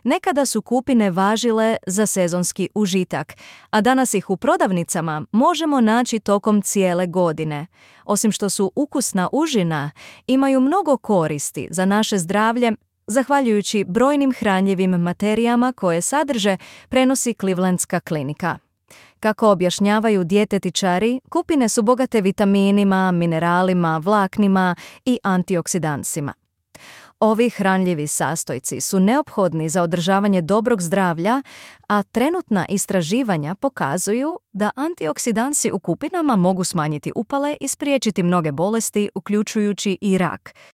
Nekada su kupine važile za sezonski užitak, a danas ih u prodavnicama možemo naći tokom cijele godine. Osim što su ukusna užina, imaju mnogo koristi za naše zdravlje, zahvaljujući brojnim hranjivim materijama koje sadrže, prenosi Clevelandska klinika. Kako objašnjavaju dijetetičari, kupine su bogate vitaminima, mineralima, vlaknima i antioksidansima. Ovi hranljivi sastojci su neophodni za održavanje dobrog zdravlja, a trenutna istraživanja pokazuju da antioksidansi u kupinama mogu smanjiti upale i spriječiti mnoge bolesti, uključujući i rak.